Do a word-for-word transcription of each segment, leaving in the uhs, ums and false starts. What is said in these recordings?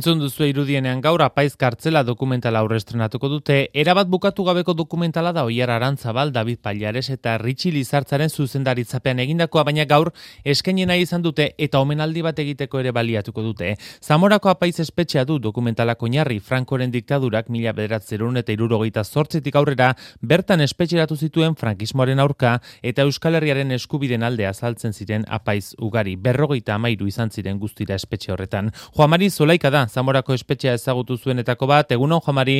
Entzun duzu irudienean gaur Apaiz kartzela dokumentala aurrestrenatuko dute. Erabat bukatu gabeko dokumentala da Oiar Arantzabal, David Pallares eta Ritxi Lizartzaren zuzendaritzapean egindakoa, baina gaur eskaini nahi izan dute eta omenaldi bat egiteko ere baliatuko dute. Zamorako Apaiz espetxea du dokumentalak oinarri. Frankoren diktadurak mila bederatziehun eta hirurogeita zortzitik aurrera bertan espetxeratu zituen frankismoaren aurka eta Euskal Herriaren eskubideen alde azaltzen ziren apaiz ugari. Berrogeita hamairu izan ziren guztira espetxe horretan. Juan Mari Zulaika da Zamorako espetxea ezagutu zuenetako bat. Egunon, Juan Mari?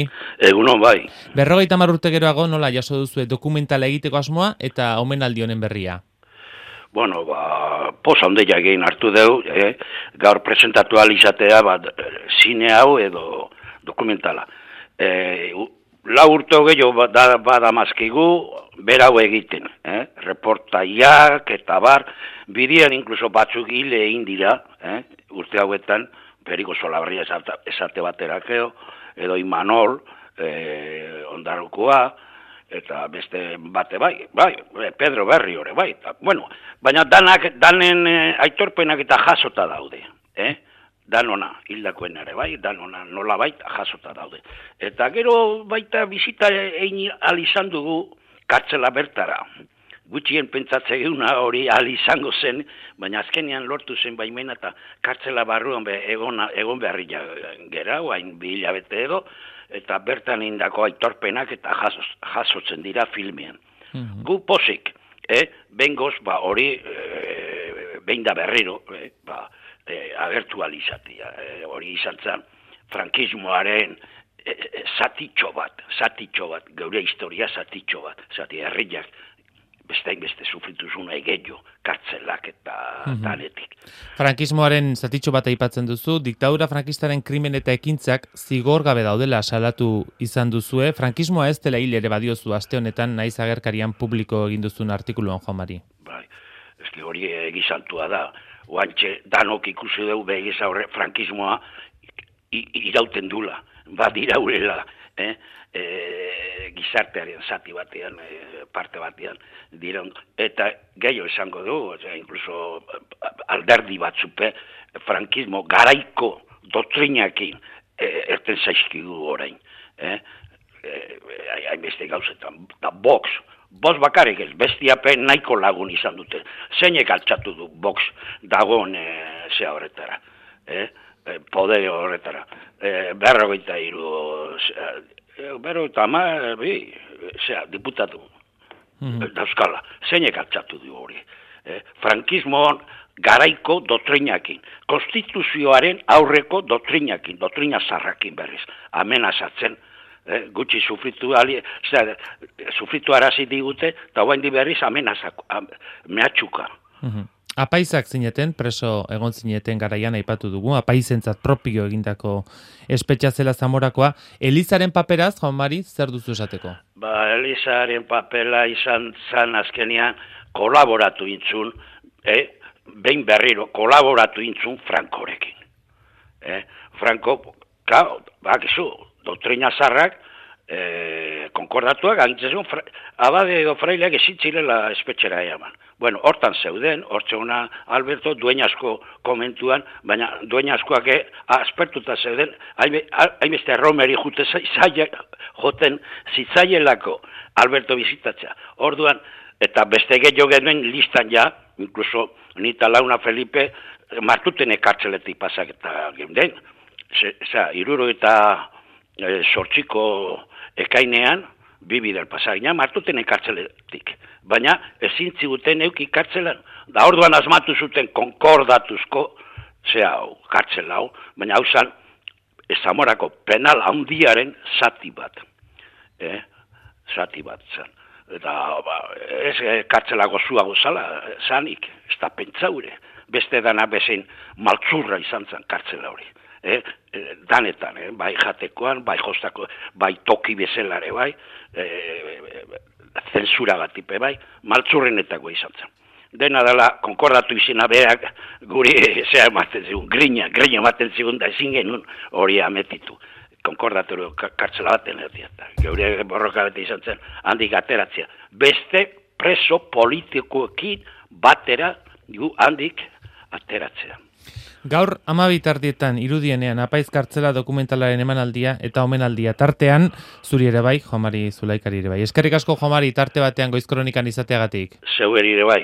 Egunon, bai. Berrogeita hamar urte geroago nola jaso duzue dokumentala egiteko asmoa eta omenaldi honen berria? Bueno, ba, posa ondeia egin hartu deu, eh? Gaur presentatu alizatea, bat, zine hau edo dokumentala. Eh, lau urte gehiago bada, bada mazkigu, berau egiten, eh? Reportaiak eta bar, bidian inkluso batzuk hile egin dira, eh? Urte hauetan, Periko Solabarria esate baterakeo, edo Imanol, eh, ondarrukoa, eta beste bate bai, bai, Pedro Berri hori, bai. Ta, bueno, baina danak, danen eh, aitorpenak eta jasota daude, eh? Danona, hildakoen ere, bai, danona nola baita jasota daude. Eta gero baita bizita egin alizan dugu kartzela bertara. Gutxien pentsatze geuna hori alizango zen, baina azkenean lortu zen baimena eta kartzela barruan be, egon, egon beharri gera, hain bi hilabete edo, eta bertan indako aitorpenak eta jasos, jasotzen dira filmean. Mm-hmm. Gu posik, eh, bengoz, ba, hori, e, behin da berriro, eh, ba, e, agertu alizatia, e, hori izan zen, frankismoaren e, e, zatitxo bat, zatitxo bat, geure historia zatitxo bat, zati herriak, bestein beste sufrituzuna egeio, kartzelak eta mm-hmm. danetik. Frankismoaren zatitxo bat aipatzen duzu, diktadura frankistaren krimen eta ekintzak zigor gabe daudela salatu izan duzue. Frankismoa ez dela hil ere badiozu aste honetan naiz agerkarian publiko egin duzun artikuluan, Juan Mari. Bai, eski hori egizantua da. Oantxe danok ikusi dugu begiz aurre frankismoa irauten dula, bat iraulela, eh? E, gizartearen zati batean, e, parte batean dira, eta gehiago esango du, osea, incluso alderdi batzupe frankismo garaiko doktrinakin e, erten zaizkigu orain, eh? hainbeste e, gauzetan, da box, Box bakarrik ez, bestiapen nahiko lagun izan dute, zeinek altxatu du box dagoen e, zea horretara, eh? e, poder horretara, e, berrogeita hiru Bero eta ama, bi, zera, diputatu, mm-hmm. dauzkala, zeinek altxatu du hori. Eh, frankismoan garaiko doktrinakin, konstituzioaren aurreko doktrinakin, doktrina zarrakin berriz, amenazatzen, eh, gutxi sufritu, ali, zera, sufritu arazi digute, eta guain di berriz amenazako, am, mehatxuka. Mm-hmm. Apaizak zineten, preso egon zineten garaian aipatu dugu, apaizentzat propio egindako espetxa zela Zamorakoa. Elizaren paperaz, Juan Mari, zer duzu esateko? Ba, Elizaren papela izan zan azkenean kolaboratu intzun, eh? behin berriro, kolaboratu intzun Frankorekin. Eh? Franko, klar, bakizu, doktrina zarrak, eh, konkordatuak, agintzen fra, abade edo fraileak ezitzirela espetxera eaman. Bueno, hortan zeuden, hortzeuna Alberto dueñasko komentuan, baina dueñaskoak aspertuta zeuden, hainbeste Romeri jute zaila, joten zitzaielako Alberto bizitatzea. Orduan, eta beste gehiago genuen listan ja, incluso nita launa Felipe, martuten ekartzeletik pasak eta geunden. Eza, iruro eta e, sortxiko ekainean, bibi del pasagina, martuten ekartzeletik. Baina ezin ziguten euki kartzelan. Da orduan asmatu zuten konkordatuzko, zea hau, kartzela hau, baina hau zan, Zamorako penal handiaren zati bat. Eh? Zati bat zan. Eta ba, ez kartzelako zuago zala, zanik, ez da pentsaure. Beste dana bezein maltzurra izan zan kartzela hori. Eh, danetan, eh, bai jatekoan, bai jostako, bai toki bezelare, bai, eh, zensura gatipe, bai, maltzurrenetako izan zen. Dena dela, konkordatu izena berak, guri, zea ematen zigun, grina, grina ematen zigun, da ezin genuen hori ametitu. Konkordatu kartzela baten erdia, geure borroka bete izan zen, handik ateratzea. Beste preso politikoekin batera, handik ateratzea. Gaur amabitardietan irudienean Apaiz kartzela dokumentalaren emanaldia eta omenaldia tartean, zuri ere bai, Juan Mari Zulaikari ere bai. Eskerrik asko, Juan Mari, tarte batean Goiz Kronikan izateagatik. Zeu ere bai.